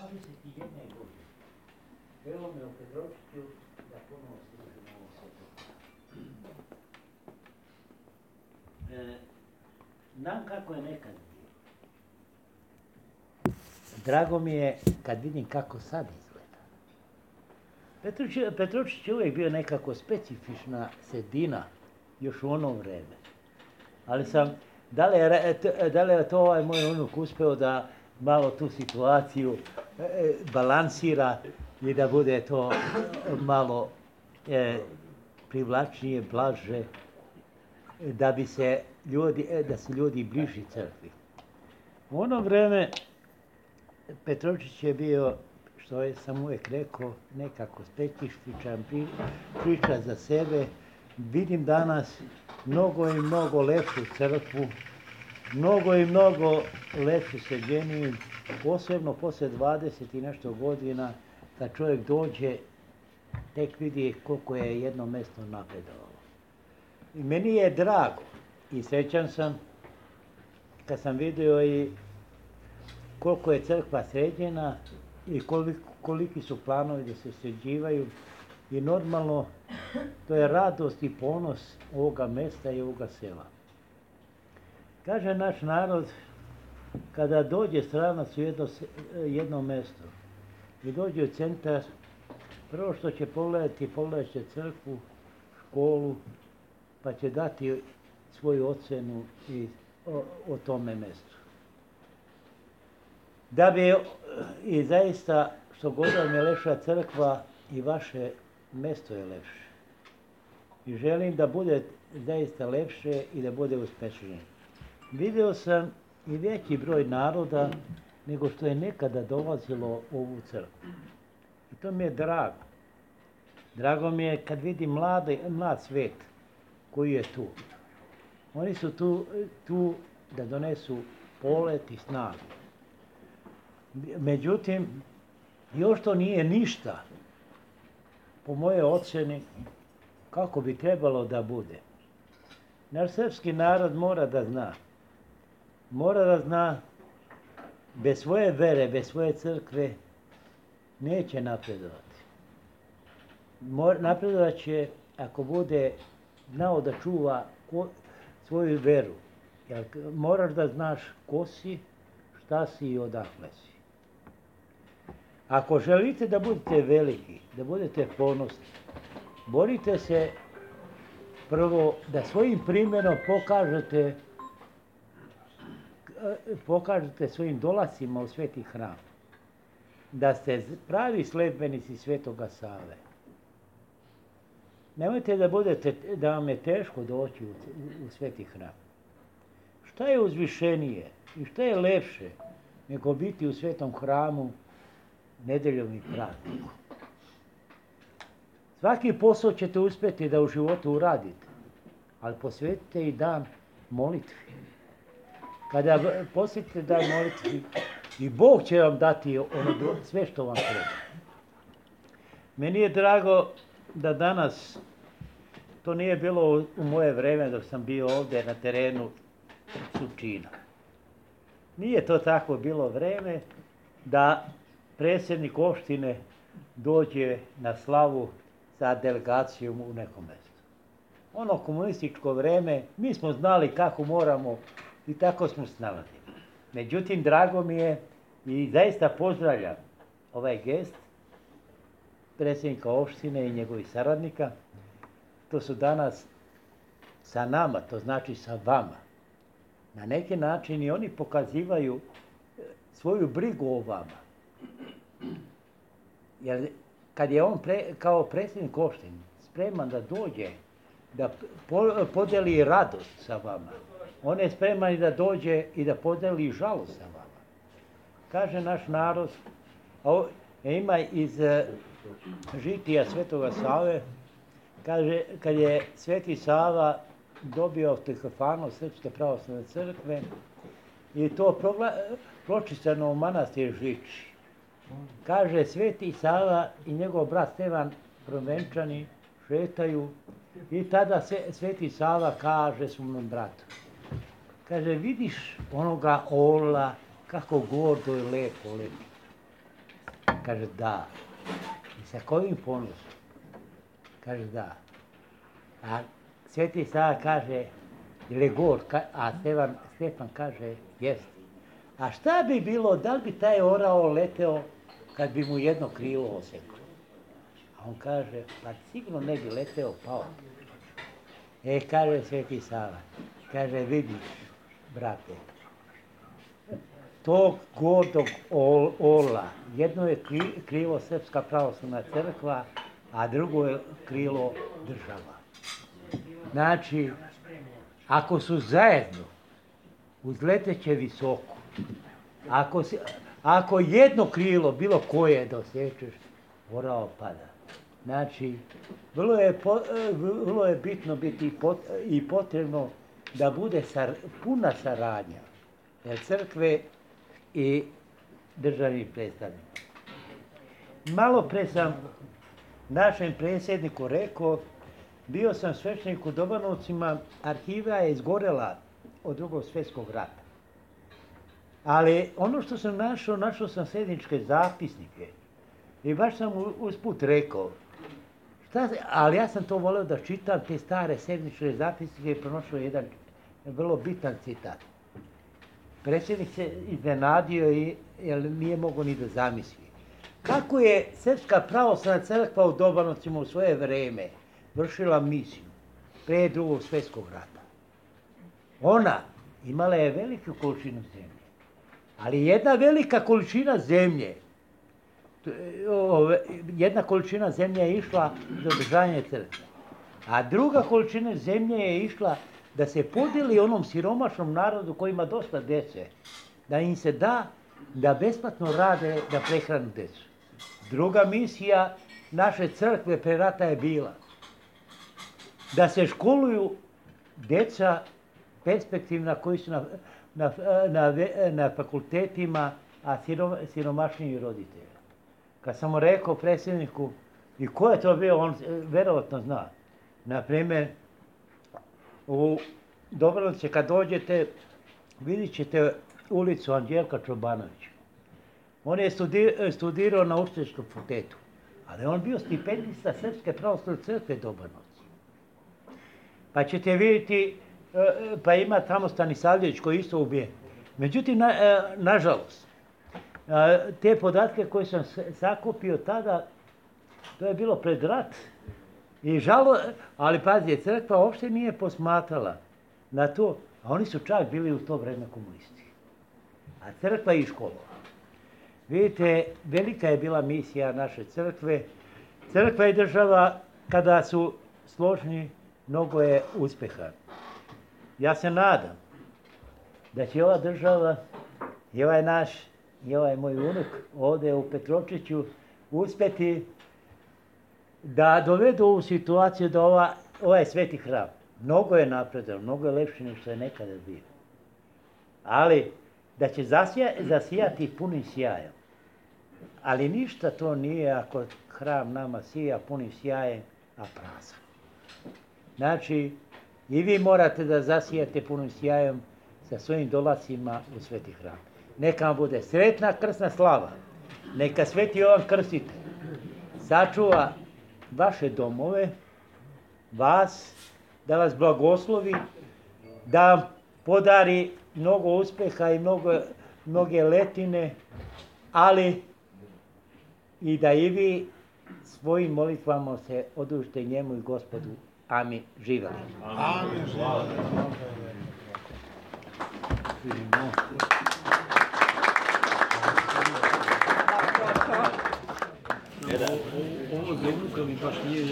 21 godine. Evo me u Petrovčiću da ponovo služimo ovo sveto. Znam kako je nekad bilo. Drago mi je kad vidim kako sad izgleda. Petrovčić je uvijek bio nekako specifična sredina, još u ono vreme. Ali da li je to ovaj moj unuk uspeo da malo tu situaciju balansira i da bude to malo privlačnije, blaže, da se ljudi bliži crkvi. U ono vreme Petrovčić je bio, što sam uvijek rekao, nekako specifičan, priča za sebe. Vidim danas mnogo i mnogo lepšu crkvu, mnogo i mnogo lepšu sređeniju, posebno posle 20 i nešto godina, kad čovjek dođe, tek vidi koliko je jedno mesto napredovalo. I meni je drago i srećan sam kad sam vidio i koliko je crkva sređena i koliki su planovi da se sređivaju. I normalno, to je radost i ponos ovoga mesta i ovoga sela. Kaže naš narod, kada dođe stranac u jedno mesto i dođe u centar, prvo što će pogledat će crkvu, školu, pa će dati svoju ocenu o tome mestu. Da bi i zaista, što god vam je lepša crkva, i vaše mesto je lepše. I želim da bude zaista lepše i da bude uspešnije. Video sam i veći broj naroda nego što je nekada dolazilo u ovu crkvu. I to mi je drago. Drago mi je kad vidim mlad svet koji je tu. Oni su tu da donesu polet i snagu. Međutim, još to nije ništa, po moje ocjeni, kako bi trebalo da bude. Naš srpski narod mora da zna, bez svoje vere, bez svoje crkve, neće napredovati. Napredovat će ako bude znao da čuva svoju veru. Jer moraš da znaš ko si, šta si i odakle si. Ako želite da budete veliki, da budete ponosni, borite se prvo da svojim primjerom pokažete svojim dolascima u Sveti hram, da ste pravi sledbenici Svetoga Save. Nemojte da vam je teško doći u Sveti hram. Šta je uzvišenije i šta je lepše nego biti u Svetom hramu nedeljom i praznikom? Svaki posao ćete uspjeti da u životu uradite, ali posvetite i dan molitvi. Kada posvetite dan molitvi, i Bog će vam dati sve što vam treba. Meni je drago da danas, to nije bilo u moje vreme dok sam bio ovdje na terenu Surčina. Nije to tako bilo vreme da predsjednik opštine dođe na slavu sa delegacijom u nekom mjestu. Ono komunističko vreme, mi smo znali kako moramo i tako smo snalazili. Međutim, drago mi je i zaista pozdravljam ovaj gest predsjednika opštine i njegovih saradnika. To su danas sa nama, to znači sa vama. Na neki način i oni pokazivaju svoju brigu o vama. Jer kad je on kao predsjednik opštine spreman da dođe, da podeli radost sa vama, on je spreman i da dođe i da podeli žalost sa vama. Kaže naš narod, ima iz žitija Svetoga Save, kaže, kad je Sveti Sava dobio autokefalnost Srpske pravoslavne crkve i to pročistano u manastir Žiči. Kaže, Sveti Sava i njegov brat Stevan Provenčani šetaju i tada Sveti Sava kaže svom bratu. Kaže, vidiš onoga orla kako gordo i lepo leti. Kaže da. I sa kojim ponosom? Kaže da. A Sveti Sava kaže, ili god, a Stefan kaže, jest. A šta bi bilo, da li bi taj orao leteo kad bi mu jedno krilo oseklo? A on kaže, pa sigurno ne bi leteo, pao. Kaže Sveti Sava, kaže, vidiš, brate, tog gordog orla, jedno je krilo Srpska pravoslavna crkva, a drugo je krilo država. Znači, ako su zajedno, uzleteće visoko. Ako jedno krilo, bilo koje dosečeš, orao pada. Znači, vrlo je bitno biti i potrebno da bude puna saradnja crkve i državnih predstavnika. Malo pre sam našem predsjedniku rekao, bio sam sveštenik u Dobanovcima, arhiva je izgorela od Drugog svjetskog rata. Ali ono što sam našao sam sedničke zapisnike i baš sam usput rekao, ali ja sam to voleo da čitam te stare sedničke zapisnike i pronašao jedan vrlo bitan citat. Predsjednik se iznenadio jer nije mogao ni da zamisli. Kako je Srpska pravoslavna crkva u Dobanovcima u svoje vreme vršila misiju pre Drugog svjetskog rata? Ona imala je veliku količinu zemlje, ali jedna velika količina zemlje, jedna količina zemlje je išla za održavanje crkve, a druga količina zemlje je išla da se podijeli onom siromašnom narodu koji ima dosta djece, da im se da besplatno rade, da prehranu djecu. Druga misija naše crkve pre rata je bila da se školuju djeca perspektivna koji su na fakultetima, a siromašniji roditelji. Kad sam mu rekao predsjedniku, i ko je to bio, on verovatno zna. Naprimjer, u Dobanovce kad dođete, vidit ćete ulicu Anđelka Čobanovića. On je studirao na Učiteljskom fakultetu, ali on bio stipendista Srpske pravoslavne crkve Dobanovci. Pa ćete vidjeti, pa ima tamo Stanisavljević koji je isto ubijen. Međutim, nažalost, te podatke koje sam sakupio tada, to je bilo pred rat. Ali pazi, crkva uopšte nije posmatrala na to, a oni su čak bili u to vreme komunisti. A crkva je i škola. Vidite, velika je bila misija naše crkve. Crkva i država, kada su složni, mnogo je uspeha. Ja se nadam da će ova država i ovaj moj unuk ovdje u Petrovčiću uspjeti da dovedu ovu situaciju da ovaj sveti hram mnogo je napredan, mnogo je lepši nego što je nekada bio. Ali da će zasijati punim sjajem. Ali ništa to nije ako hram nama sija punim sjajem, a prazan. Znači, i vi morate da zasijate punim sjajem sa svojim dolacima u sveti hram. Neka vam bude sretna krsna slava. Neka Sveti Jovan Krstitelj sačuva vaše domove, vas, da vas blagoslovi, da vam podari mnogo uspeha i mnoge letine, ali i da i vi svojim molitvama se odužite njemu i Gospodu. Amin. Živeli. Amin. Ovo za unuka mi baš nije